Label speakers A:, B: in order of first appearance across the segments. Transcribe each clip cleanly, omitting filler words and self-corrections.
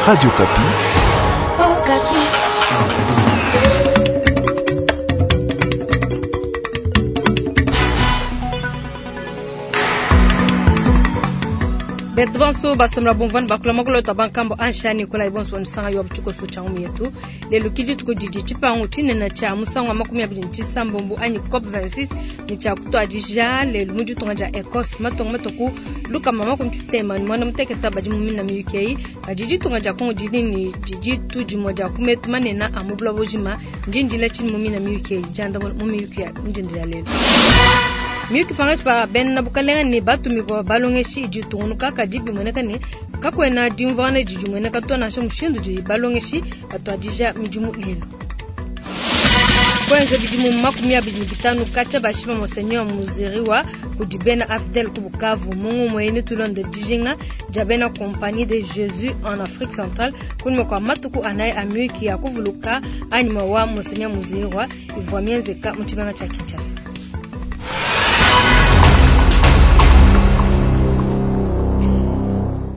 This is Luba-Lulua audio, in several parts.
A: Radio Okapi.
B: Okapi.
C: Betu bonso basomela bumvua bakula makolo to bankambo anshani kola ibonso nsanga yo buchuko sucha ngu yetu lelo kidi tuko didi chipangu chinena cha musango wa 29 anyi COP 26 ni cha kutwadija lelo mu ditunga dia Ecosse matongo matoku luka mama kumtema ni mwana muteketa badi mu mina mi UK kadi ditunga dia Kongo didi ni didi tu dimwe dia kumetu manena a mu buloba bujima ndindila chini mu mina mi UK janda mu mi UK ndindila lelo miyuki pangatshi pa bena bukalenga ne batumibua balongeshi idi itungunuka kadi bimueneka ne kakuena dimvuangana didi dimueneka to nansha mushindu udi balongeshi batuadija midimu lelu. Kwenza bidimu 25 katshia bashipa Monseigneur Munzihirwa kudi bena AFDL ku Bukavu mungu muene tulonde dijinga dia bena Compagnie de Jésus en Afrique Centrale kunyima kua matuku anayi a miyuki ya kuvuluka anyima wa Monseigneur Munzihirwa ivua mienzeka mu tshimenga tshia Kinshasa.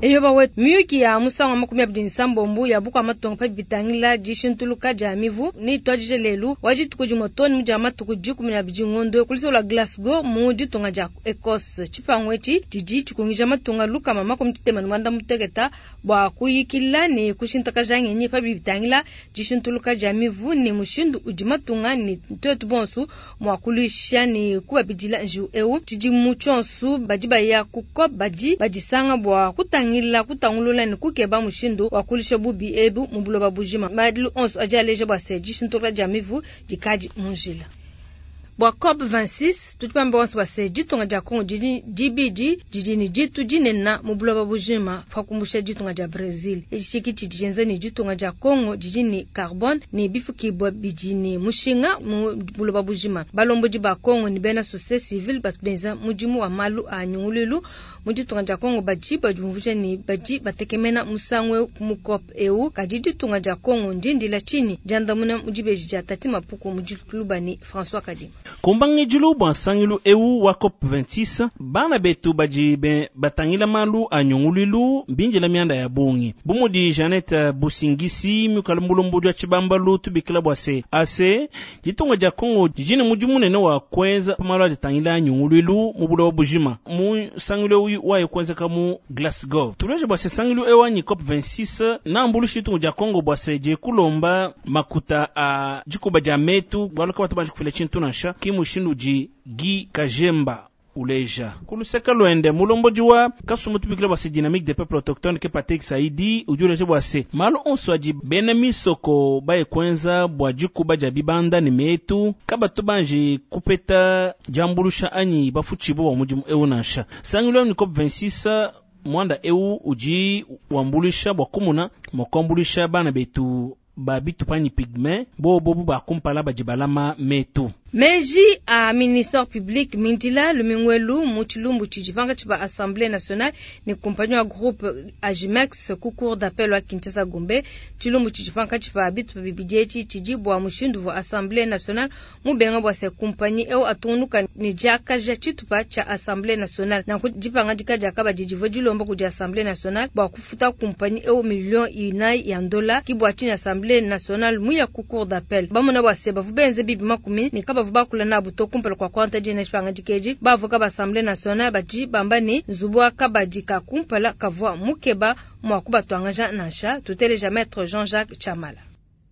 C: Eyoba wetu miyuki ya musango wa 27 ya bukua matonga pa bitangila dishintuluka dia mivu ni tuadije lelu wa dituku dimue too ne dia matuku 12 ngondo ku la Glasgow mu ditunga dia Ecosse. Tshipangu etshi didi tshikungija matunga lukama 68 bua kuyikila ne kushintakaja ngenyi pa bitangila dishintuluka dia mivu ne mushindu udi matunga ne tuetu bonso mua kuluisha ne kubabidila njiwu eu. Tshidimu tshionso badi baya ku COP badi badisanga bua kutangila kutangulula ne kukeba mushindu wa kulisha bubi ebu mu buloba bujima. Madilu onso adi aleja bua se dishintuluka dia mivu dikadi mu njila. Bua COP 26 tudi bambe bonso bua se ditunga dia Kongo didi dibidi didi ne ditu dinene mu buloba bujima pa kumbusha ditunga dia Brazil. Etshi ki tshidi tshienza ne ditunga dia Kongo didi ne carbone ne bifukibua bidi ne mushinga mu buloba bujima. Balombodi ba Kongo ne bena société civile batu benza mudimu wa malu a nyunguluilu mu ditunga dia Kongo badi badiumvuija ne badi batekemena musangu eu mu COP eu. Kadi ditunga dia Kongo ndindila tshinyi diandamuna mu dibeji dia Tati Mapuku mu dituluba ne François Kadima.
D: Kumbangijilu bua nsangilu eu wa COP 26 bana betu badi batangila malu a nyunguluilu mbinjila mianda ya bungi bu mudi Jeannette Busingisi mikala mulomboji wa tshibambalu tubikila bua se ase ditunga dia Kongo didi ne mudimu munene wa kuenza malu adi atangila nyunguluilu mu buloba bujima mu nsangilu eu waye kuenzeka mu Glasgow. Tuleje bua se nsangilu eu anyi COP 26 nambulushi ditunga dia Kongo bua se dikulomba makuta a dikuba dia metu bualu ka batu banji kufila tshintu nansha ki mushindu udi Guy Kajemba uleja kuluseka lwende mulomboji wa kasumu tubikila bua se dynamique des peuples autochtones ke Patrick Saidi udi uleja bua se malu onso adi bena misoko baye kuenza bua dikuba dia bibanda ne metu kabatu banji kupeta diambulusha anyi bafutshibo bua mudimu eu nansha. Sangilu ni COP 26 mwanda eu udi wambulusha bua kumuna mua kuambulusha bana betu ba bitupa pygme bo bobu bakumpala badi balama metu.
C: Meji a ministère public mindila lumingwelu mu tshilumbu tshidi pangatshi pa Assemblée nationale ne compagnie wa groupe Agimex ku cour d'appel wa Kinshasa Gombe. Tshilumbu tshidi pankatshi pa bitupa bibidi etshi tshidi bua mushindu wa Assemblée nationale mubenga bua se compagnie eu atungunuka ne diakaja tshitupa tshia Assemblée nationale. Nanku dipangadika diakabadi divua dilomba kudi Assemblée nationale bua kufuta compagnie eu million inayi ya ndola ki bua tshini Assemblée nationale muya ku cour d'appel. Bamona bua se bavu benze bibi makumi ne kabavu bakula nabu to kumpala kua kuanta dina tshipangadika edi. Bavoka ba Assemblée nationale badi bamba ne nzubu wa kabadi ka kumpala kavua mukeba mua kubatwangaja nansha. Tuteleja maître Jean-Jacques Chamala.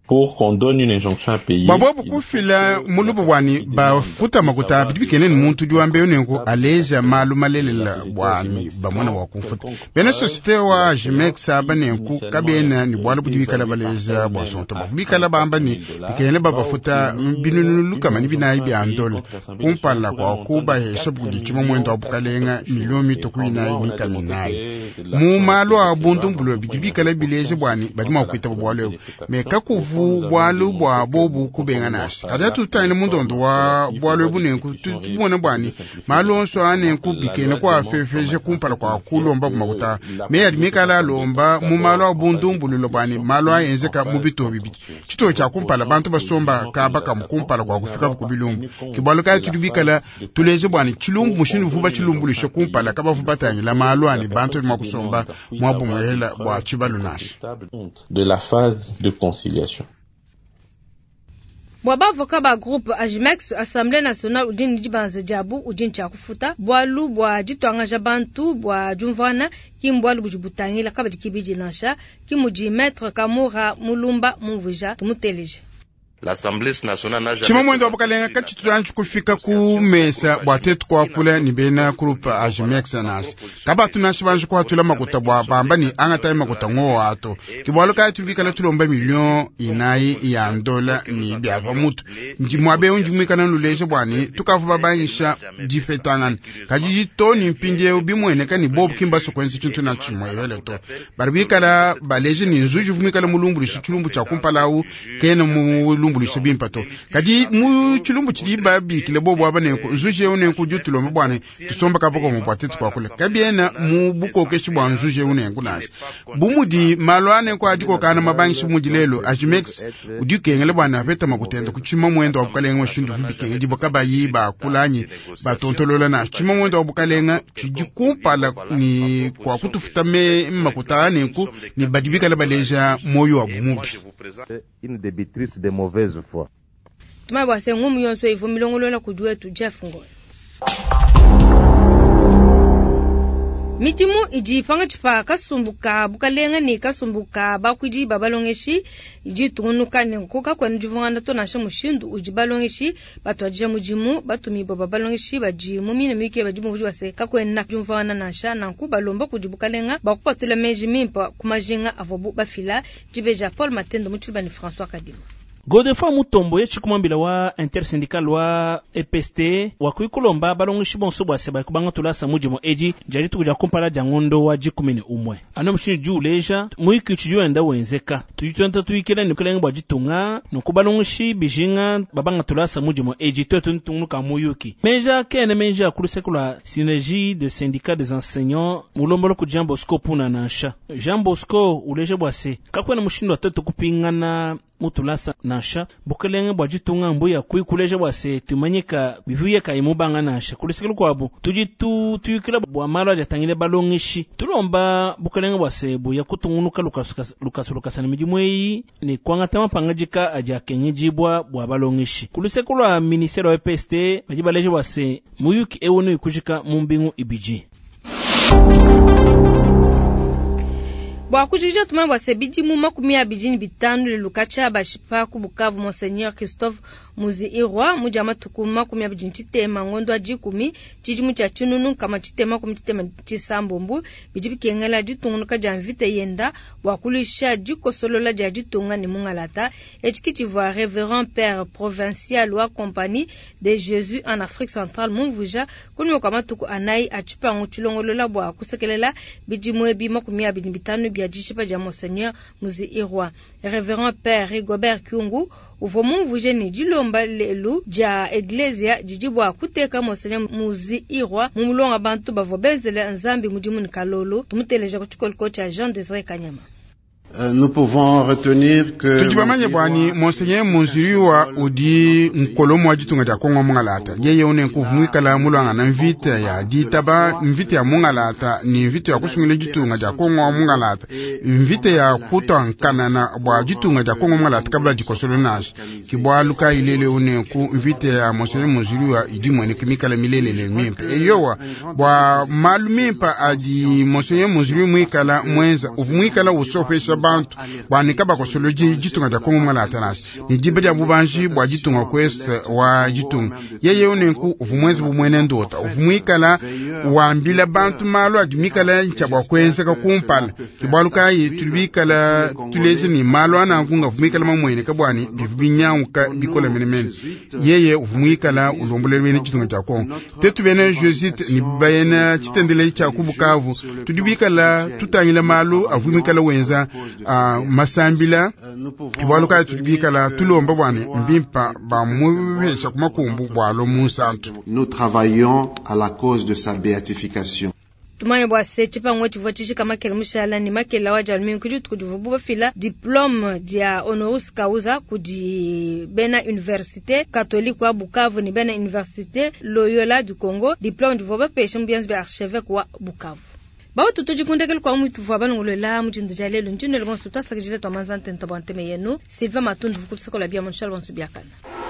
E: Pour qu'on donne une injonction à payer.
F: Bua bobu kufila mulubu wani bafuta makuta bidi bikenene muntu udi wamba nenku aleja malu malelela bwani bamona wa kufuta. Bena société wa Agimex aba nenku kabena ni bualu budi bikala baleja bua sonto bavu bikala bamba ni bikenene babafuta binunu lukama ni binayi bia ndola kumpala kua kubahesha budi tshima muendo wa bukalenga milio mituku inayi mikami inayi. Mu malu a bundu mbulo bidi bikala bileja bwani badi mua kuitaba bualu ebu. Me kakuvu Kabuvu bwalu bwa bobu kubenga nansha. Kadi atutangile mundondo wa bwalu ebu nenku tubone bwani malu onso anenku bikene kwa fefeje kumpala kwa kulomba kumakuta meya mikala alomba mu malu a bundumbululo bwani malu aenzeka mu bito bibidi chito cha kumpala bantu basomba kaba kamukumpala kwa kufika ku bilumbu kibwalu kaya tudibikala tuleze bwani chilumbu mushindu vuba chilumbulishe kumpala kabavu batangila malu ani bantu mwakusomba mwabumwela bwa chibalu nashi
E: de la phase de conciliation.
C: Bwa bavoka ba groupe Ajimex Assemblée nationale udi ne dibanza diabu udi ntshia kufuta bwalu bwa ditwangaja bantu bwa diumvuana ki mbwalu budi butangila kabadi kibidi nansha ki mudi maître Kamora Mulumba mumvuija tumuteleje.
F: Chima mwendo wa bukalenga kachitulanji kufika ku mesa bwa tetu kwakula ni bena kurupa Ajimex nasi kabatu nashi banji kwatula makuta bwa bamba ni angata makuta ngo ato kibwalo kaya tubikala tulomba million inayi ya ndola ni byava mutu ndi mwabe unji mwikana nuleje bwani tukavu babanyisha difetangana kaji toni mpindie ubimweneka ni bob kimba sokwenzi chintu na chimwe ebele to baribikala baleje ni nzuji vumikala mulumbulishi chilumbu cha kumpalau kena mulumbulishi bimpa to kadi mu chilumbu chili babikile bobo abaneko nzuje unenku jutulomba bwane tusomba kapoko mubwate twakule kabiena mu bukokeshi bwa nzuje unenku nasi bumudi malo aneko adiko kana mabangishi mudi lelo Ajimex udikengele bwana apeta makutenda kuchima mwendo wa bukalenga mashindu vibikenge dibo kabayi bakulanyi batontolola na chima mwendo wa bukalenga chijikumpala ni kwa kutufuta me makuta anenku ni badibikala baleja moyo wa bumubi
A: une débitrice de mauvaise foi.
C: Tumai bwase ngumu yonso ivo milongolola kudi Jeff Ngoy. Midimu idi pangatshi pa kasumbuka bukalenga ne kasumbuka bakwidi babalongeshi idi tungunuka ne nkoka kwenu divungana to nansha mushindu udi balongeshi batwadija mudimu batumibwa babalongeshi badi mu mine mike badi muvudi wase kakwena diumvuana nansha nanku balomba kudi bukalenga bakupatula meji mimpa ku majinga avobu bafila dibeja Paul Matendo mutshiba ne François Kadima.
D: Godefroid Mutombo ye tshikumambila wa intersyndical wa EPST wakuikulomba balongeshi bonso bwase bakubanga tulasa mudimu edi jadi tukuja kumpala dia ngondo wa 11 ano mushindu diuleja muiki tshidi wenda wenzeka tudi tuenda tuikila ne kulenga bwa ditunga nunku balongeshi bijinga babanga tulasa mudimu edi twetu ntungunuka muyuki meja kene meja kuluseko lwa synergie de syndicat des enseignants mulombolo ku Jean Bosco puna nansha Jean Bosco uleja bwase kakwena mushindu wa twetu kupingana mutulasa nansha bukelenge bwa ditunga mbuya kuikuleja bwase tumanyika bivuye kaimubanga nansha kulisikila kwabu tudi tuyikila bwa malo ajatangile balongeshi tulomba bukelenge bwase buya kutungunuka lukasu na midimu eyi ne kwangata mapangajika ajakengejibwa bwa balongeshi kuluseko lwa ministère wa EPST badi baleja bwase muyuki ewonu ikujika mu mbingu ibiji.
C: Bwa kujija tuma bwa sebidi mu 25 lelukacha bashipa ku Bukavu Monseigneur Christophe Muziirwa muja matuku 23 ngondo a 10 chijimu cha chinunu kama chitema kumchitema chisambombu bidi bikengela ditungunuka dia mvita yenda bwa kulisha dikosolola dia ditunga ne mungalata echikichivwa Révérend Père Provincial wa Compagnie de Jésus en Afrique Centrale mumvuja kunyoka matuku anai achipangu chilongolola bwa kusekelela bidimu ebi 25 bia dishipa dia Monseigneur Muziirwa. Révérend Père Rigobert Kyungu uvo mumvuje ni dilomba lelu dia eglesia didi bwa kuteka Monseigneur Muziirwa mumulonga bantu bavua benzele nzambi mudimu ni kalolo tumuteleja ku tshikoliko tshia Jean Desire Kanyama.
G: Nous pouvons retenir que
F: tudi bamanye bwani Monseigneur Munziriwa udi nkolomo wa ditunga dia Kongo mungalata yeye une nkuvu mwikala mulwanga na mvita ya ditaba mvita ya mungalata ni mvita ya kusungila ditunga dia Kongo mungalata mvita ya kutankanana bwa ditunga dia Kongo mungalata kabla dikosolo nashi kibwaluka ilele une nku mvita ya Monseigneur Munziriwa idi mwene kumikala milelele mimpe eyowa bwa malu mimpa adi Monseigneur Munziriwa mwikala mwenza uvumwikala usofesha bantu bwanika bakosoloji ditunga dia Kongo mungalata nasi ni diba dia bubanji bwa ditunga kwese wa ditunga yeye unenku uvumwezi bumwene ndota uvumwikala wambila bantu malu adi mikala ncha bwa kwenzeka kumpala kibwaluka kayi tudi bikala tuleja ne malu ananku ngavu muikala mamueneka bwani bivu binyanguka bikola menemene. Yeye uvu muikala ulombolela bena ditunga dia Kongo. Tetu bena Jésuite ne bena tshitendele tshia ku Bukavu tudi bikala tutangila malu avu muikala wenza masambila. Bualu kayi tudi bikala tulomba bwani mbimpa bamupesha ku makumbu bwalo munsantu.
G: Nous travaillons à la cause de sa béatification.
C: Tumanye bua se tshipangu tshivua tshijika makele mushala ne makele wa dia lumingu dituku divuabu bafila diplome dia honoris causa kudi bena université catholique wa Bukavu ne bena université Loyola du Congo. Diplome divua bapesha mu bianza bia archevêque wa Bukavu. Bautu tudi kundekele kwa mwitu vua balongolola mujindu dia lelu ndinele bonso twasakidila twa manza ntenta bua nteme yenu Sylvain Matundu vukutusakola bia munshala bonso biakana.